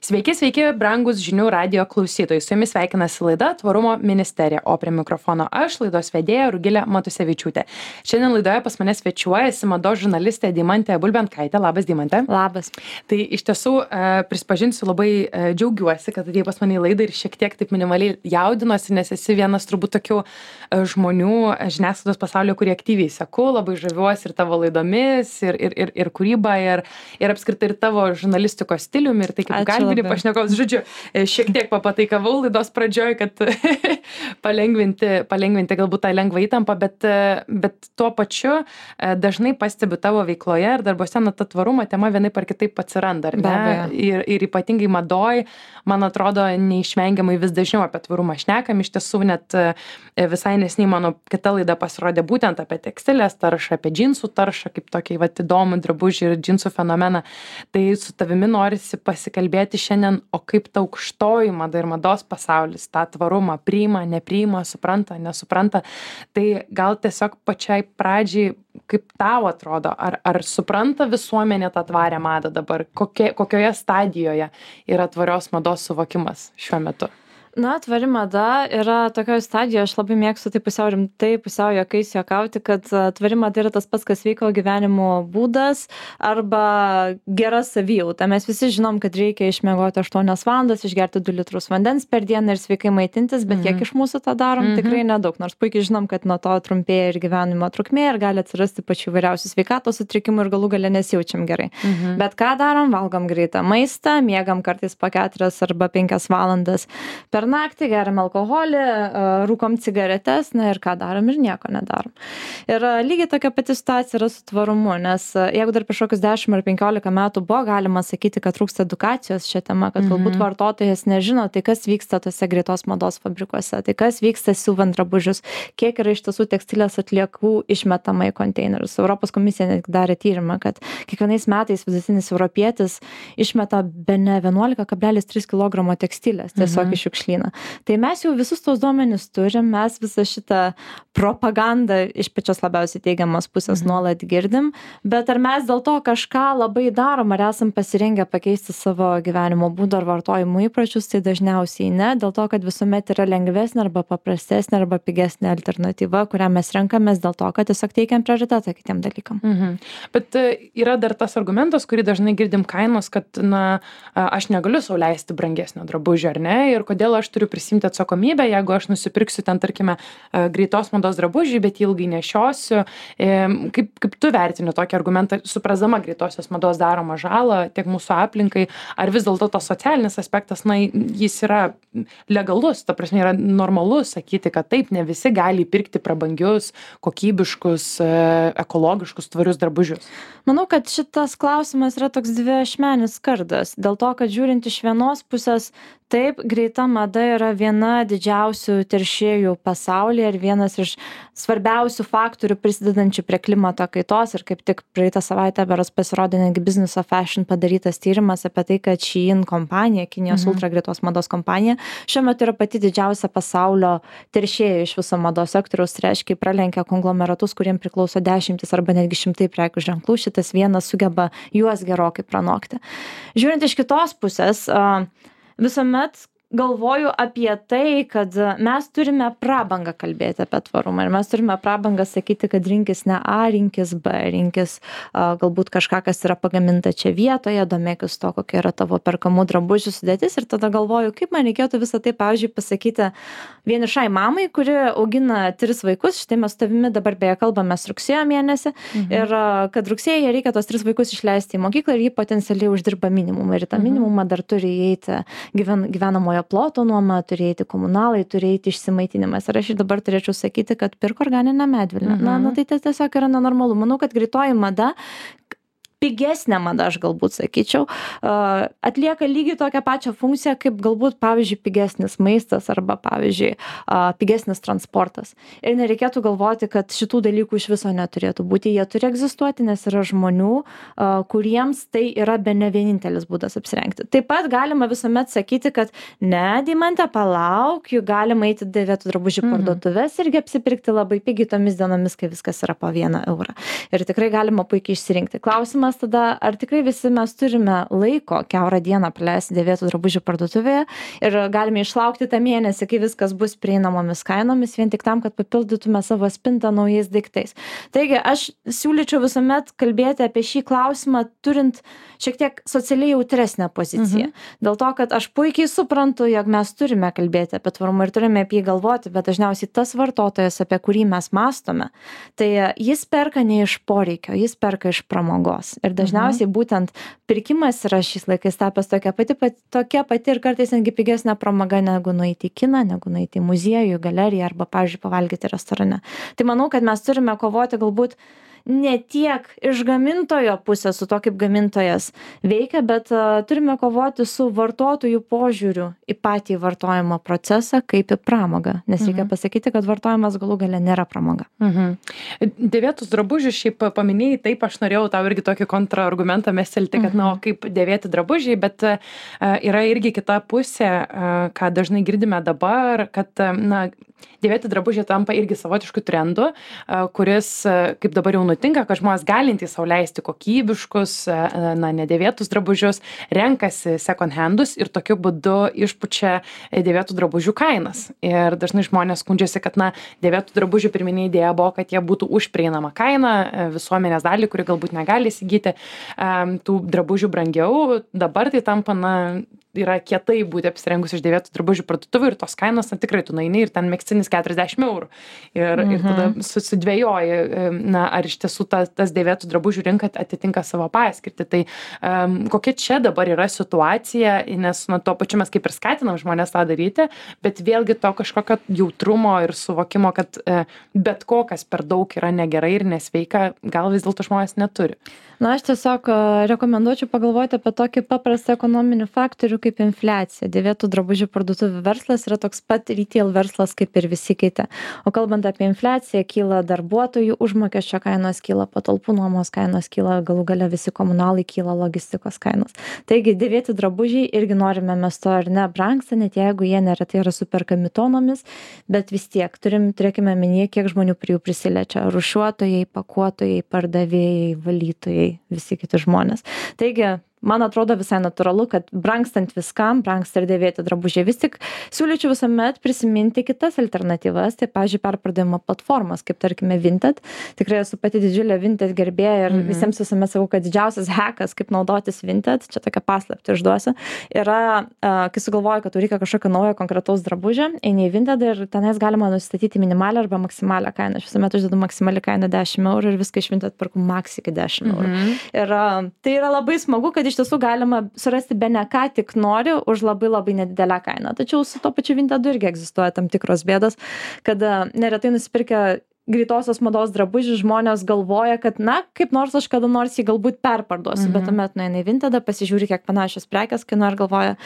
Sveiki, sveiki, brangus žinių radio klausytojai. Su jumis sveikinasi laida Tvarumo ministerija, o prie mikrofono aš, laidos vedėja Rugilė Matusevičiūtė. Šiandien laidoje pas mane svečiuojasi mados žurnalistė Deimantė Bulbenkaitė. Labas, Deimantė. Labas. Tai iš tiesų prisipažinsiu, labai džiaugiuosi, kad atėjai pas mane į laidą ir šiek tiek taip minimaliai jaudinosi, nes esi vienas turbūt tokių žmonių žiniasklaidos pasaulio, kurie aktyviai seku, labai žaviuosi ir tavo laidomis, ir kūryba, ir apskritai ir tavo žurnalistikos stiliumi, ir tai kaip kalbini pašnekovus. Žodžiu, šiek tiek papataikavau laidos pradžioj, kad palengvinti galbūt tą lengvą įtampą, bet tuo pačiu dažnai pastebiu tavo veikloje ir darbose, na, ta tvarumo tema vienaip ar kitaip atsiranda, ar ne? Ir ypatingai madoj, man atrodo, neišvengiamai vis dažniau apie tvarumą šnekam. Iš tiesų, net visai nesiniai mano kita laida pasirodė būtent apie tekstilės taršą, apie džinsų taršą, kaip tokį įdomų drabužį ir džinsų fenomeną. Tai su tavimi norisi pasikalbėti šiandien, o kaip ta aukštoji mada ir mados pasaulis tą tvarumą priima, nepriima, supranta, nesupranta. Tai gal tiesiog pačiai pradžiai, kaip tau atrodo, ar supranta visuomenė tą tvarę madą dabar, kokioje stadijoje yra tvarios mados suvokimas šiuo metu? Na, tvari mada yra tokioje stadijoje, aš labai mėgstu tai pusiau rimtai, pusiau juokais juokauti, kad tvari mada yra tas pats, kas sveiko gyvenimo būdas arba gera savijauta. Mes visi žinom, kad reikia išmiegoti 8 valandas, išgerti 2 litrus vandens per dieną ir sveikai maitintis, bet kiek iš mūsų tą darom, tikrai nedaug. Nors puikiai žinom, kad nuo to trumpėja ir gyvenimo trukmė ir gali atsirasti pačių įvairiausių sveikatos sutrikimų ir galų gale nesijaučiam gerai. Bet ką darom? Valgom greitą maistą, miegam kartais po 4 arba 5 valandas per naktį, geriam alkoholį, rūkom cigaretes, na ir ką darom ir nieko nedarom. Ir lygiai tokia pati situacija yra su tvarumu, nes jeigu dar prieš kokius 10 ar 15 metų buvo galima sakyti, kad trūksta edukacijos šią temą, kad galbūt vartotojas nežino, tai kas vyksta tose greitos mados fabrikuose, tai kas vyksta siuvant drabužius, kiek yra iš tiesų tekstilės atliekų išmetama į konteinerius. Europos komisija netgi darė tyrimą, kad kiekvienais metais vidutinis europietis išmeta bene 11,3 kg tekstilės tiesiog iš šiukšlyno. Tai mes jau visus tos duomenis turim, mes visą šitą propagandą iš pačios labiausiai teigiamos pusės nuolat girdim, bet ar mes dėl to kažką labai darom, ar esam pasirengę pakeisti savo gyvenimo būdą ar vartojimo įpročius, tai dažniausiai ne, dėl to, kad visuomet yra lengvesnė arba paprastesnė arba pigesnė alternatyva, kurią mes renkamės dėl to, kad tiesiog teikiam prioritetą kitiem dalykam. Bet yra dar tas argumentas, kurį dažnai girdim kainos, kad, na, aš negaliu sau leisti brangesnio drabužio, ar ne, ir kodėl aš turiu prisimti atsakomybę, jeigu aš nusipirksiu ten, tarkime, greitos mados drabužį, bet ilgai nešiosiu. Kaip tu vertini tokį argumentą, suprasdama greitosios mados daromą žalą tiek mūsų aplinkai, ar vis dėlto tas socialinis aspektas, na, jis yra legalus, ta prasme, yra normalus sakyti, kad taip, ne visi gali pirkti prabangius, kokybiškus, ekologiškus, tvarius drabužius? Manau, kad šitas klausimas yra toks dviašmenis kardas, dėl to, kad žiūrint iš vienos pusės, taip, greita mada yra viena didžiausių teršėjų pasaulyje ir vienas iš svarbiausių faktorių prisidedančių prie klimato kaitos. Ir kaip tik praeitą savaitę berods pasirodė netgi Business of Fashion padarytas tyrimas apie tai, kad Shein kompanija, Kinijos ultra greitos mados kompanija, šiuo metu yra pati didžiausia pasaulio teršėja iš viso mados sektoriaus, tai reiškia, pralenkia konglomeratus, kuriems priklauso 10 arba netgi 100 prekių ženklų. Šitas vienas sugeba juos gerokai pranokti. Žiūrint iš kitos pusės, visuomet galvoju apie tai, kad mes turime prabangą kalbėti apie tvarumą ir mes turime prabangą sakyti, kad rinkis ne A, rinkis B, rinkis galbūt kažką, kas yra pagaminta čia vietoje, domėkis to, kokia yra tavo perkamų drabužių sudėtis ir tada galvoju, kaip man reikėtų visą tai, pavyzdžiui, pasakyti vienišai mamai, kuri augina 3 vaikus, štai mes su tavimi dabar beje kalbamės rugsėjo mėnesį ir kad rugsėjį reikia tos 3 vaikus išleisti į mokyklą ir jį potencialiai uždirba minimumą ir tą minimumą dar turi įeiti gyvenamojo ploto nuoma, turėti komunalai, turėti išsimaitinimas. Ir aš ir dabar turėčiau sakyti, kad pirk organinę medvilnę. Na, tai tiesiog yra nenormalu. Manau, kad greitoji mada, pigesnė mada, aš galbūt sakyčiau, atlieka lygiai tokią pačią funkciją, kaip galbūt, pavyzdžiui, pigesnis maistas arba, pavyzdžiui, pigesnis transportas. Ir nereikėtų galvoti, kad šitų dalykų iš viso neturėtų būti. Jie turi egzistuoti, nes yra žmonių, kuriems tai yra bene vienintelis būdas apsirengti. Taip pat galima visuomet sakyti, kad ne, Deimante, palauk, juk galima eiti dėvėtų drabužių parduotuvės irgi apsipirkti labai pigiai tomis dienomis, kai viskas yra po 1 eurą. Ir tikrai galima puikiai išsirinkti. Klausimas klausimas tada, ar tikrai visi mes turime laiko kiaurą dieną praleisti dėvėtų drabužių parduotuvėje ir galime išlaukti tą mėnesį, kai viskas bus prieinamomis kainomis, vien tik tam, kad papildytume savo spintą naujais daiktais. Taigi, aš siūlyčiau visuomet kalbėti apie šį klausimą, turint šiek tiek socialiai jautresnę poziciją. Dėl to, kad aš puikiai suprantu, jog mes turime kalbėti apie tvarumą ir turime apie jį galvoti, bet dažniausiai tas vartotojas, apie kurį mes mąstome, tai jis perka ne iš poreikio, jis perka iš pramogos. Ir dažniausiai būtent pirkimas yra šiais laikais tapęs tokia pati ir kartais netgi pigesnė pramoga negu nueiti į kiną, negu nueiti į muziejų, galeriją arba, pavyzdžiui, pavalgyti restorane. Tai manau, kad mes turime kovoti galbūt ne tiek iš gamintojo pusės su to, kaip gamintojas veikia, bet turime kovoti su vartotojų požiūriu į patį vartojimo procesą kaip į pramogą. Nes reikia pasakyti, kad vartojimas galų gale nėra pramoga. Dėvėtus drabužius šiaip paminėjai, taip aš norėjau tau irgi tokį kontraargumentą mestelti, kad kaip dėvėti drabužiai, bet yra irgi kita pusė, ką dažnai girdime dabar, kad dėvėti drabužiai tampa irgi savotišku trendu, kuris, kaip dabar jau nutinka, kad žmonės galintys sau leisti kokybiškus, nedėvėtus drabužius, renkasi second handus ir tokiu būdu išpučia dėvėtų drabužių kainas. Ir dažnai žmonės skundžiasi, kad dėvėtų drabužių pirminė idėja buvo, kad jie būtų už prieinamą kainą visuomenės dalį, kuri galbūt negali įsigyti tų drabužių brangiau. Dabar tai tampa, yra kietai būti apsirengus iš dėvėtų drabužių parduotuvių ir tos kainos, tikrai tu nueini ir ten megztinis 40 eurų. Ir tada susidvejoji, ar iš tiesų tas dėvėtų drabužių rinka atitinka savo paskirtį. Tai kokia čia dabar yra situacija, nes tuo pačiu mes kaip ir skatinam žmonės tą daryti, bet vėlgi to kažkokio jautrumo ir suvokimo, kad bet kokas per daug yra negerai ir nesveika, gal vis dėlto žmonės neturi. Aš tiesiog rekomenduočiau pagalvoti apie tokį paprastą ekonominį faktorių kaip infliacija. Dėvėtų drabužių parduotuvių verslas yra toks pat retail verslas kaip ir visi kiti. O kalbant apie infliaciją, kyla darbuotojų užmokesčio kainos, kyla patalpų nuomos kainos, kyla galų gale visi komunalai, kyla logistikos kainos. Taigi dėvėti drabužiai irgi norime mes to ar ne brangsta, net jeigu jie neretai yra superkami tonomis, bet vis tiek turėkime minėti, kiek žmonių prie jų prisiliečia. Rūšiuotojai, pakuotojai, pardavėjai, valytojai, visi kiti žmonės. Taigi, man atrodo visai natūralu, kad brangstant viskam, brangsta ir dėvėti drabužiai. Vis tik siūlyčiau visuomet prisiminti kitas alternatyvas, tai, pavyzdžiui, perpardavimo platformas, kaip tarkime Vinted. Tikrai esu pati didžiulė Vinted gerbėja ir visiems visuomet sakau, kad didžiausias hackas, kaip naudotis Vinted, čia tokia paslaptį išduosiu, yra, kai sugalvoju, kad reikia kažkokio naujo konkretaus drabužio, eini į Vinted ir tenais galima nustatyti minimalią arba maksimalią kainą. Aš visuomet uždedu maksimalią kainą 10 eurų ir viską iš Vinted perku max iki 10 eurų. Ir tai yra labai smagu, kad iš tiesų galima surasti bene ką tik nori už labai labai nedidelę kainą. Tačiau su to pačiu Vintedu irgi egzistuoja tam tikros bėdos, kad neretai nusipirkę greitosios mados drabužių žmonės galvoja, kad kaip nors aš kada nors jį galbūt perparduosiu, bet tuomet nueina į Vintedą, pasižiūri, kiek panašios prekės kainuoja ir galvoja,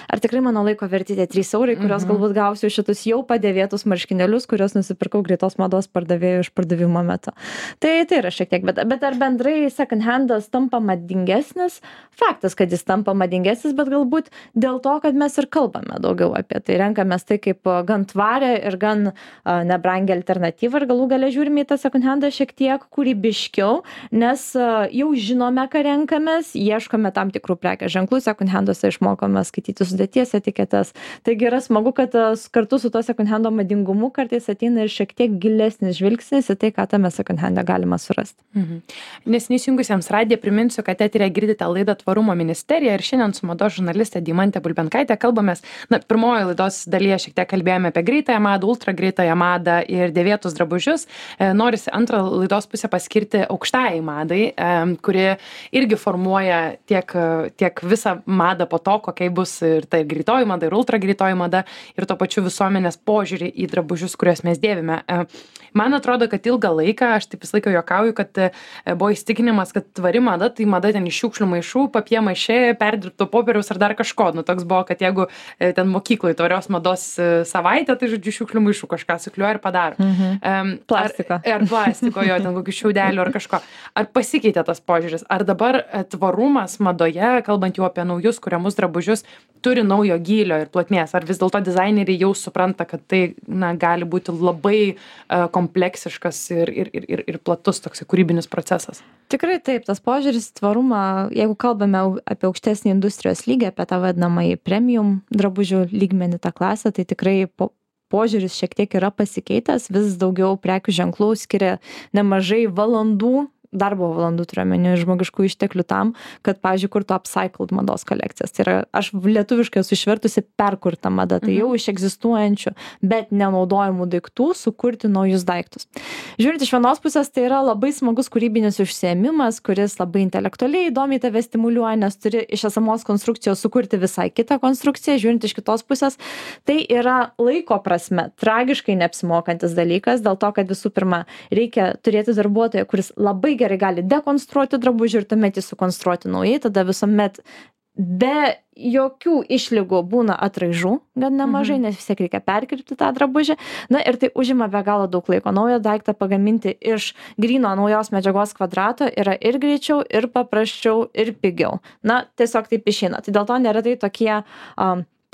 ar tikrai mano laiko verti tie 3 eurai, kurios galbūt gausiu šitus jau padėvėtus marškinėlius, kuriuos nusipirkau greitos mados pardavėjų išpardavimo metu. Tai yra šiek tiek, bet ar bendrai second handas tampa madingesnis? Faktas, kad jis tampa madingesnis, bet galbūt dėl to, kad mes ir kalbame daugiau apie tai, renkamės tai kaip gan tvarę ir gan nebrangę alternatyvą ir galų gale žiūrime į tą second handą šiek tiek kūrybiškiau, nes jau žinome, ką renkamės, ieškome tam tikrų prekės ženklų, second handuose išmokome skaityti sudėties etiketes. Taigi yra smagu, kad kartu su to second hando madingumu kartais ateina ir šiek tiek gilesnis žvilgsnis į tai, ką tame second hande galima surasti. Neseniai įsijungusiems radiją priminsiu, kad eteryje girdite laidą Tvarumo ministerija ir šiandien su mados žurnaliste Deimante Bulbenkaite kalbamės. Pirmoje laidos dalyje šiek tiek kalbėjome apie greitąją madą, ultra greitąją madą ir dėvėtus drabužius. Norisi antrą laidos pusę paskirti aukštajai madai, kuri irgi formuoja tiek visą madą po to, kokia bus ir tai greitoji mada, ir ultra greitoji mada, ir to pačiu visuomenės požiūrį į drabužius, kuriuos mes dėvime. Man atrodo, kad ilgą laiką, aš taip visą laiką juokauju, kad buvo įstikinimas, kad tvari mada, tai mada ten iš šiukšlių maišų, papie maišė, perdirbto popieriaus ar dar kažko. Toks buvo, kad jeigu ten mokykloje tvarios mados savaitę, tai žodžiu šiukšlių maišų kažką sukliuoja ir padaro. plastiko. Ar plastiko, jo, ten kokių šiaudelių ar kažko. Ar pasikeitė tas požiūris? Ar dabar tvarumas madoje, kalbant jau apie naujus kuriamus drabužius, turi naujo gylio ir plotmės? Ar vis dėlto dizaineriai jau supranta, kad tai gali būti labai kompleksiškas ir platus toks kūrybinis procesas? Tikrai taip, tas požiūris tvarumą, jeigu kalbame apie aukštesnį industrijos lygį, apie tą vadinamąjį premium drabužių lygmenį, tą klasę, tai tikrai požiūris šiek tiek yra pasikeitęs, vis daugiau prekių ženklų skiria nemažai valandų, darbo valandų turiuomenį žmogiškų išteklių tam, kad, pavyzdžiui, kurtų upcycled mados kolekcijas. Tai yra, aš lietuviškai esu išvertusi perkurta mada, tai jau iš egzistuojančių, bet nenaudojamų daiktų sukurti naujus daiktus. Žiūrint iš vienos pusės, tai yra labai smagus kūrybinis užsiėmimas, kuris labai intelektualiai įdomiai tave stimuliuoja, nes turi iš esamos konstrukcijos sukurti visai kitą konstrukciją. Žiūrint iš kitos pusės, tai yra laiko prasme tragiškai neapsimokantis dalykas, dėl to, kad visų pirma reikia turėti darbuotoją, kuris labai gerai gali dekonstruoti drabužį ir tuomet jį sukonstruoti naujai, tada visuomet be jokių išlygų būna atraižų gan nemažai, nes vis tiek reikia perkirpti tą drabužį. Na ir tai užima be galo daug laiko. Naują daiktą pagaminti iš gryno naujos medžiagos kvadrato yra ir greičiau, ir paprasčiau, ir pigiau. Na, tiesiog taip išeina. Tai dėl to neretai tokie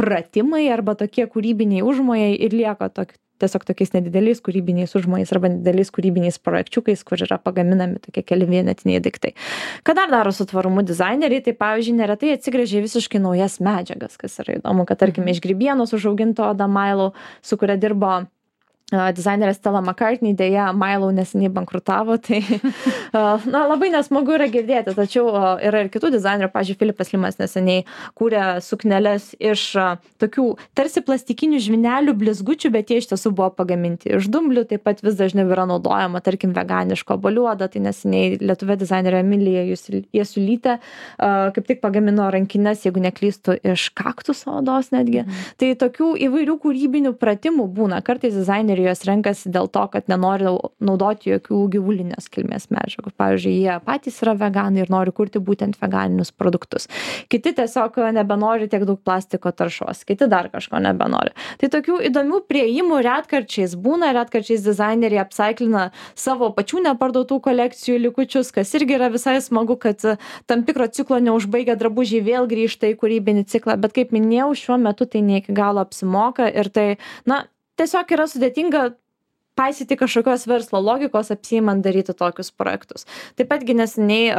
pratimai arba tokie kūrybiniai užmojai ir lieka tiesiog tokiais nedideliais kūrybiniais užmojais arba nedideliais kūrybiniais projekčiukais, kur yra pagaminami tokie keli vienetiniai daiktai. Ką dar daro su tvarumu dizaineriai, tai pavyzdžiui, neretai atsigręžia visiškai naujas medžiagas, kas yra įdomu, kad tarkime iš grybienos užauginto Oda Mailau, su kuria dirbo dizainerė Stella McCartney, dėja Mailau neseniai bankrutavo, tai labai nesmagu yra girdėti, tačiau yra ir kitų dizainerių, pavyzdžiui, Filipas Limas neseniai kūrė sukneles iš tokių tarsi plastikinių žvynelių blizgučių, bet jie iš tiesų buvo pagaminti iš dumblių, taip pat vis dažniau yra naudojama, tarkim, veganiško obuolių oda, tai neseniai lietuvė dizainerė Emilija Jasulytė kaip tik pagamino rankines, jeigu neklystu, iš kaktuso odos netgi. Tai tokių įvairių kūrybinių pratimų būna, kartais dizaineriai jos renkasi dėl to, kad nenori naudoti jokių gyvulinės kilmės medžiagų. Pavyzdžiui, jie patys yra veganai ir nori kurti būtent veganinius produktus. Kiti tiesiog nebenori tiek daug plastiko taršos, kiti dar kažko nebenori. Tai tokių įdomių priėjimų retkarčiais būna, retkarčiais dizaineriai upcyclina savo pačių neparduotų kolekcijų likučius, kas irgi yra visai smagu, kad tam tikro ciklo neužbaigę drabužiai vėl grįžta į kūrybinį ciklą, bet kaip minėjau, šiuo metu tai ne iki galo apsimoka ir tai, tiesiog yra sudėtinga paisyti kažkokios verslo logikos, apsiimant daryti tokius projektus. Taip patgi neseniai,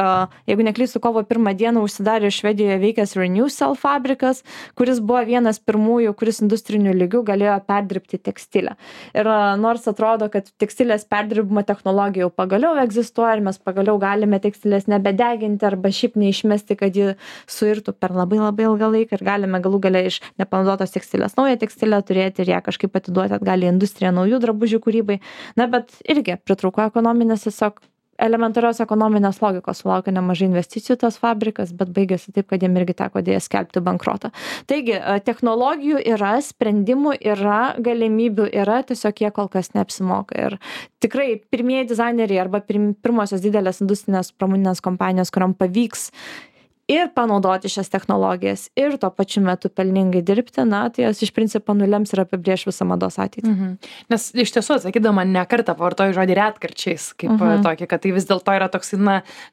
jeigu neklystu, kovo 1 dieną užsidarė Švedijoje veikęs Renewcell fabrikas, kuris buvo vienas pirmųjų, kuris industriniu lygiu galėjo perdirbti tekstilę. Ir nors atrodo, kad tekstilės perdirbimo technologija jau pagaliau egzistuoja ir mes pagaliau galime tekstilės nebedeginti arba šiaip neišmesti, kad ji suirtų per labai labai ilgą laiką ir galime galų gale iš nepanaudotos tekstilės naują tekstilę turėti ir ją kažkaip atiduoti atgal į industriją naujų drabužių kūrybai. Bet irgi pritrūko ekonominės, tiesiog elementarios ekonominės logikos, sulaukė nemažai investicijų tas fabrikas, bet baigėsi taip, kad jiem irgi teko dėja skelbti bankrotą. Taigi, technologijų yra, sprendimų yra, galimybių yra, tiesiog jie kol kas neapsimoka. Ir tikrai pirmieji dizaineriai arba pirmosios didelės industrinės pramoninės kompanijos, kuriam pavyks ir panaudoti šias technologijas ir tuo pačiu metu pelningai dirbti, tai jos iš principo nulems ir apibrėš visą mados ateitį. Nes iš tiesų, atsakydama, ne kartą pavartoju žodį retkarčiais, kaip tokį, kad tai vis dėlto yra toks,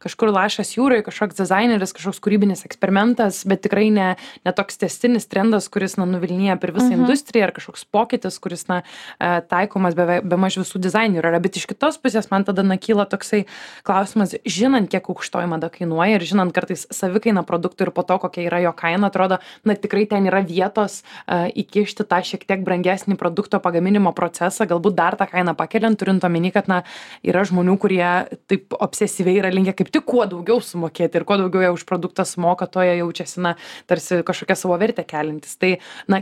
kažkur lašas jūroje, kažkoks dizaineris, kažkoks kūrybinis eksperimentas, bet tikrai ne toks tęstinis trendas, kuris nuvilnija per visą industriją, ar kažkoks pokytis, kuris taikomas be maž visų dizainerių yra. Bet iš kitos pusės man tada kyla toksai klausimas, žinant, kiek aukštoji mada kainuoja ir žinant kartais savikaina produktų ir po to, kokia yra jo kaina, atrodo, tikrai ten yra vietos įkišti tą šiek tiek brangesnį produkto pagaminimo procesą, galbūt dar tą kainą pakeliant, turint omeny, kad yra žmonių, kurie taip obsesyviai yra linkę kaip tik kuo daugiau sumokėti ir kuo daugiau jie už produktą sumoka, to jie jaučiasi, tarsi kažkokią savo vertę keliantis. Tai,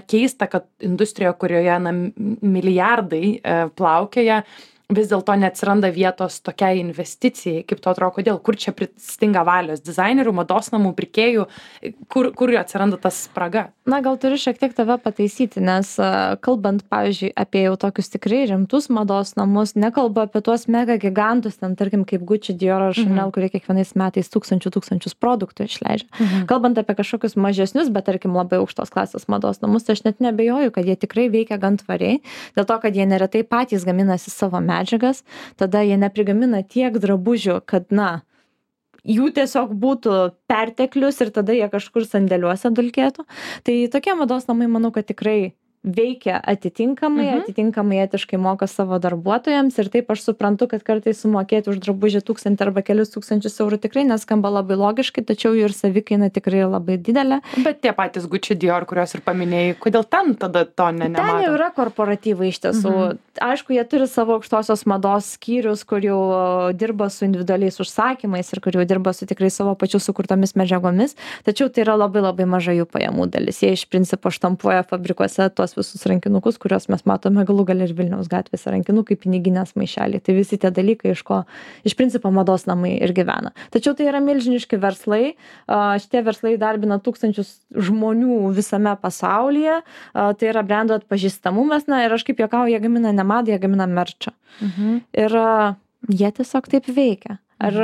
keista, kad industrijoje, kurioje, milijardai plaukioja, vis dėlto neatsiranda vietos tokiai investicijai, kaip to atrodo, kodėl, kur čia stinga valios dizainerių, mados namų, pirkėjų, kur atsiranda tas spraga? Gal turiu šiek tiek tave pataisyti, nes kalbant, pavyzdžiui, apie jau tokius tikrai rimtus mados namus, nekalbu apie tuos mega gigantus, ten tarkim kaip Gucci, Dior ar Chanel, kurie kiekvienais metais tūkstančius produktų išleidžia. Kalbant apie kažkokius mažesnius, bet tarkim labai aukštos klasės mados namus, tai aš net nebejoju, kad jie tikrai veikia gan tvariai, dėl to, kad jie neretai patys gaminasi savo medžiagą medžiagas, tada jie neprigamina tiek drabužių, kad, jų tiesiog būtų perteklius ir tada jie kažkur sandėliuose dulkėtų. Tai tokie mados namai, manau, kad tikrai veikia atitinkamai etiškai moka savo darbuotojams ir taip aš suprantu, kad kartais sumokėti už drabužį 1000 arba kelius tūkstančius eurų tikrai neskamba labai logiškai, tačiau jų ir savikaina tikrai labai didelė. Bet tie patys Gucci, Dior, kuriuos ir paminėjai, kodėl ten tada to nemato? Ten jau yra korporatyvai iš tiesų. Aišku, jie turi savo aukštosios mados skyrius, kur jau dirba su individualiais užsakymais ir kur jau dirba su tikrai savo pačių sukurtomis medžiagomis, tačiau tai yra labai labai maža jų pajamų dalis. Jie iš principo štampuoja fabrikuose tos visus rankinukus, kuriuos mes matome galų gale ir Vilniaus gatvėse, rankinukai, piniginės maišeliai. Tai visi tie dalykai, iš ko iš principo mados namai ir gyvena. Tačiau tai yra milžiniški verslai. Šitie verslai darbina tūkstančius žmonių visame pasaulyje. Tai yra brendo atpažįstamumas. Ir aš kaip juokauju, jie gamina ne madą, jie gamina merčą. Ir jie tiesiog taip veikia. Ar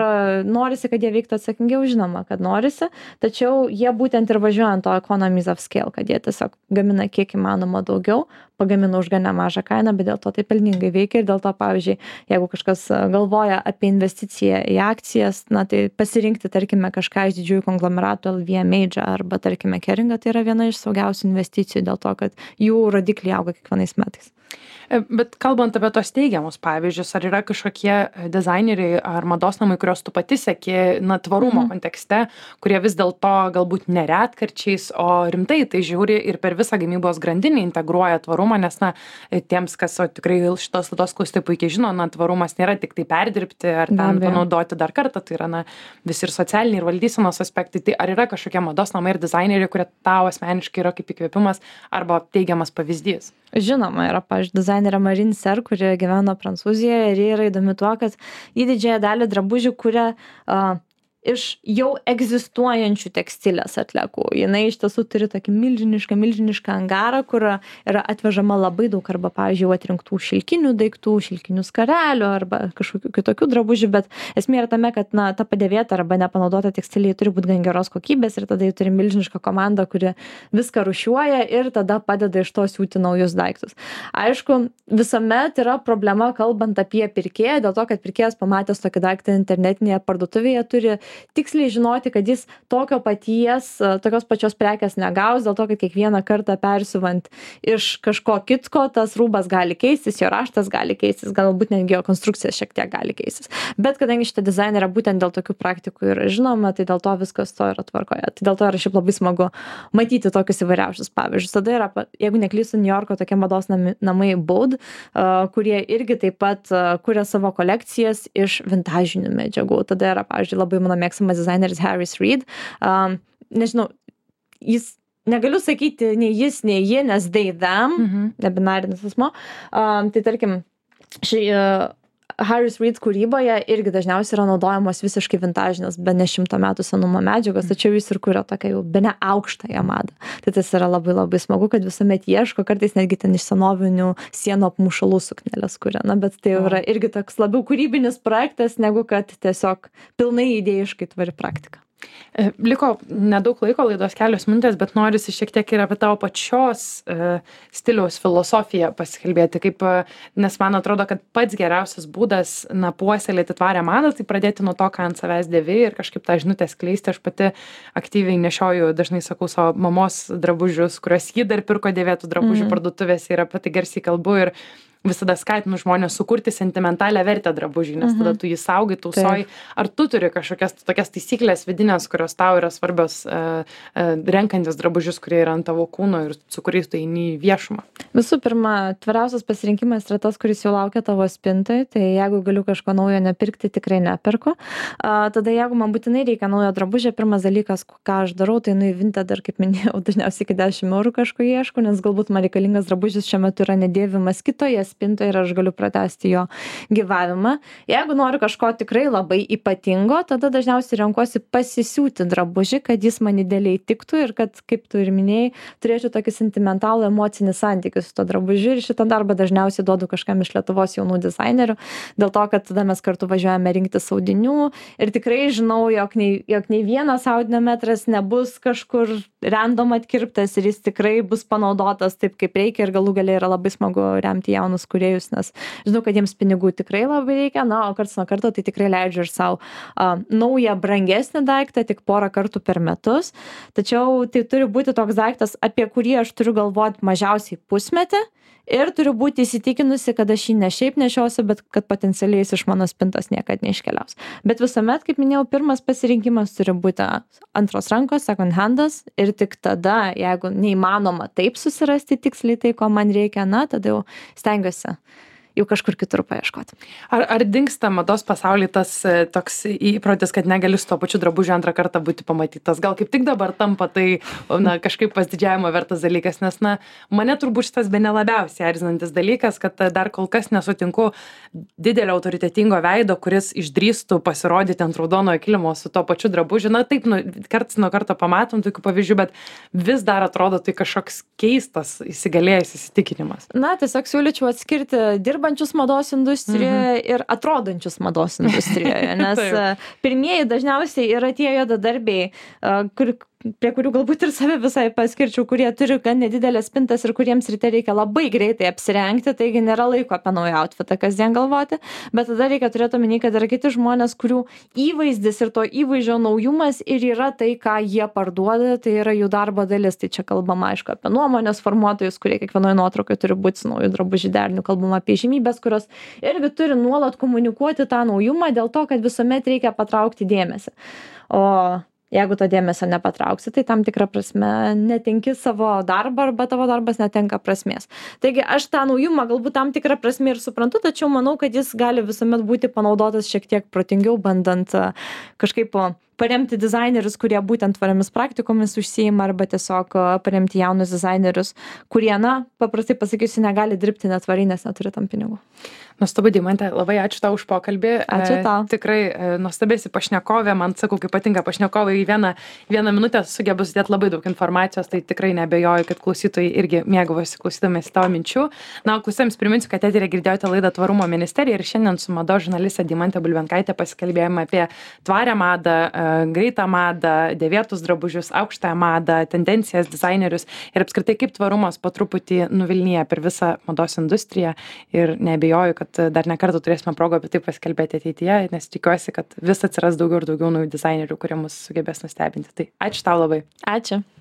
norisi, kad jie veiktų atsakingiau? Žinoma, kad norisi, tačiau jie būtent ir važiuoja ant to economies of scale, kad jie tiesiog gamina kiek įmanoma daugiau, pagamina už gan nemažą kainą, bet dėl to tai pelningai veikia ir dėl to, pavyzdžiui, jeigu kažkas galvoja apie investiciją į akcijas, tai pasirinkti, tarkime, kažką iš didžiųjų konglomeratų LVMH arba, tarkime, Keringą, tai yra viena iš saugiausių investicijų dėl to, kad jų rodikliai auga kiekvienais metais. Bet kalbant apie tos teigiamus pavyzdžius, ar yra kažkokie dizaineriai ar mados namai, kurios tu pati seki, tvarumo kontekste, kurie vis dėlto galbūt neretkarčiais, o rimtai tai žiūri ir per visą gamybos grandinį integruoja tvarumą, nes, tiems, kas tikrai šitos laidos klausytojai puikiai žino, tvarumas nėra tik tai perdirbti ar ten panaudoti dar kartą, tai yra visi ir socialiniai ir valdysenos aspektai. Tai ar yra kažkokie mados namai ir dizaineriai, kurie tau asmeniškai yra kaip įkvėpimas arba teigiamas pavyzdys? Žinoma, yra, pavyzdžiui, dizainerė Marine Serre, kuri gyvena Prancūzijoje ir yra įdomi tuo, kad į didžiąją dalį drabužių kuria iš jau egzistuojančių tekstilės atliekų. Jinai iš tiesų turi tokį milžinišką angarą, kur yra atvežama labai daug arba, pavyzdžiui, atrinktų šilkinių daiktų, šilkinių skarelių arba kažkokių kitokių drabužių, bet esmė yra tame, kad ta padėvėta arba nepanaudota tekstilė turi būti gan geros kokybės ir tada jie turi milžinišką komandą, kuri viską rūšiuoja ir tada padeda iš to siūti naujus daiktus. Aišku, visuomet yra problema kalbant apie pirkėją, dėl to, kad pirkėjas pamatęs tokį daiktą internetinėje parduotuvėje turi tiksliai žinoti, kad jis tokios pačios prekės negaus, dėl to, kad kiekvieną kartą persiuvant iš kažko kitko, tas rūbas gali keistis, jo raštas gali keistis, galbūt netgi jo konstrukcija šiek tiek gali keistis. Bet kadangi šitą dizainerę būtent dėl tokių praktikų yra žinoma, tai dėl to viskas to yra tvarkoje. Tai dėl to yra šiaip labai smagu matyti tokius įvairiausius pavyzdžius. Tada yra, jeigu neklystu, New Yorko tokie mados namai Bode, kurie irgi taip pat kuria savo kolekcijas iš vintažinių medžiagų. Tada yra, pavyzdžiui, labai mano mėgstamas dizaineris Harris Reed. Nežinau, jis, negaliu sakyti nei jis, nei ji, nes they, them, nebinarinis asmo. Tai tarkim, Harris Reed kūryboje irgi dažniausiai yra naudojamos visiškai vintažinės, bene 100 metų senumo medžiagos, tačiau jis ir kuria tokią jau bene aukštąją madą. Tai tas yra labai labai smagu, kad visuomet ieško, kartais netgi ten iš senovinių sienų apmušalų sukneles kuria. Bet tai yra irgi toks labiau kūrybinis projektas, negu kad tiesiog pilnai idėjiškai tvari praktika. Liko nedaug laiko, laidos kelios minutės, bet norisi šiek tiek ir apie tavo pačios stiliaus filosofiją pasikalbėti, nes man atrodo, kad pats geriausias būdas puoselėti tvarią madą, tai pradėti nuo to, ką ant savęs dėvi ir kažkaip tą žinutę skleisti. Aš pati aktyviai nešioju, dažnai sakau savo mamos drabužius, kuriuos ji dar pirko dėvėtų drabužių parduotuvėse ir apie tai garsiai kalbu ir visada skatinu žmonės sukurti sentimentalią vertę drabužiui, nes tada tu jį saugai, tausoji. Ar tu turi kažkokias tokias taisyklės vidinės, kurios tau yra svarbios renkantis drabužius, kurie yra ant tavo kūno ir su kuriais tu eini į viešumą? Visų pirma, tvariausias pasirinkimas yra tas, kuris jau laukia tavo spintai, tai jeigu galiu kažko naujo nepirkti, tikrai neperku. Tada jeigu man būtinai reikia naujo drabužio, pirmas dalykas, ką aš darau, tai į Vinted, dar kaip minėjau, dažniausiai iki 10 eurų kažko ieško, nes galbūt man reikalingas drabužis šiuo metu yra nedėvimas kitoje spintoje ir aš galiu pratęsti jo gyvavimą. Jeigu noriu kažko tikrai labai ypatingo, tada dažniausiai renkuosi pasisiūti drabužį, kad jis man idealiai tiktų ir kad, kaip tu ir minėjai, turėčiau tokį sentimentalų emocinį santykį su to drabužiu ir šitą darbą dažniausiai duodu kažkam iš Lietuvos jaunų dizainerių, dėl to, kad tada mes kartu važiuojame rinktis audinių ir tikrai žinau, jog nei vienas audinio metras nebus kažkur random atkirptas ir jis tikrai bus panaudotas taip, kaip reikia ir galų gale yra labai smagu remti jaunus jaunus kūrėjus, nes žinau, kad jiems pinigų tikrai labai reikia, o karts nuo karto tai tikrai leidžiu ir savo naują brangesnį daiktą tik porą kartų per metus. Tačiau tai turi būti toks daiktas, apie kurį aš turiu galvoti mažiausiai pusmetį. Ir turiu būti įsitikinusi, kad aš jį ne šiaip nešiosiu, bet kad potencialiai jis iš mano spintos niekada neiškeliaus. Bet visuomet, kaip minėjau, pirmas pasirinkimas turi būti antros rankos, second handas. Ir tik tada, jeigu neįmanoma taip susirasti tiksliai tai, ko man reikia, tada jau stengiuosi jau kažkur kitur paieškoti. Ar dingsta mados pasaulyje tas toks įprotis, kad negali su to pačiu drabužiu antrą kartą būti pamatytas? Gal kaip tik dabar tampa tai kažkaip pasididžiavimo vertas dalykas, nes mane turbūt šitas bene labiausiai erzinantis dalykas, kad dar kol kas nesutinku didelio autoritetingo veido, kuris išdrįstų pasirodyti ant raudonojo kilimo su to pačiu drabužiu. Taip, karts nuo karto pamatom tokių pavyzdžių, bet vis dar atrodo tai kažkoks keistas įsigalėjęs įsitikinimas. Tiesiog siūlyčiau atskirti dirbančius mados industrijoje ir atrodančius mados industrijoje, nes pirmieji dažniausiai yra tie juodadarbiai, prie kurių galbūt ir save visai paskirčiau, kurie turi gan nedidelės spintas ir kuriems ryte reikia labai greitai apsirengti, taigi nėra laiko apie naują outfitą kasdien galvoti, bet tada reikia turėti omeny, kad yra kiti žmonės, kurių įvaizdis ir to įvaizdžio naujumas ir yra tai, ką jie parduoda, tai yra jų darbo dalis. Tai čia kalbama, aišku, apie nuomonės formuotojus, kurie kiekvienoje nuotraukoje turi būti su naujų drabužių deriniu, kalbama apie žymybės, kurios irgi turi nuolat komunikuoti tą naujumą dėl to, kad visuomet reikia patraukti dėmesį. O jeigu to dėmesio nepatrauksi, tai tam tikrą prasme netenki savo darbą arba tavo darbas netenka prasmės. Taigi aš tą naujumą galbūt tam tikrą prasme ir suprantu, tačiau manau, kad jis gali visuomet būti panaudotas šiek tiek protingiau, bandant kažkaip paremti dizainerius, kurie būtent tvariomis praktikomis užsiima, arba tiesiog paremti jaunus dizainerius, kurie, paprastai pasakysiu, negali dirbti netvariai, nes neturi tam pinigų. Nuostabu, Deimante, labai ačiū tau už pokalbį. Ačiū tau. Tikrai nuostabėsi pašnekovė, man sakau, kaip patinka pašnekovai, į vieną minutę sugebu sudėti labai daug informacijos, tai tikrai neabejoju, kad klausytojai irgi mėgavosi klausydamėsi tavo minčių. O klausytojams priminsiu, kad eteryje girdėjote laidą Tvarumo ministerija ir šiandien su mados žurnaliste Deimante Bulbenkaite pasikalbėjome apie tvarią madą, greitą madą, dėvėtus drabužius, aukštąją madą, tendencijas, dizainerius ir apskritai kaip tvarumas po truputį nuvilnija per visą mados industriją ir neabejoju, kad dar ne kartą turėsime progą apie tai pasikalbėti ateityje, nes tikiuosi, kad vis atsiras daugiau ir daugiau naujų dizainerių, kurie mus sugebės nustebinti. Tai ačiū tau labai. Ačiū.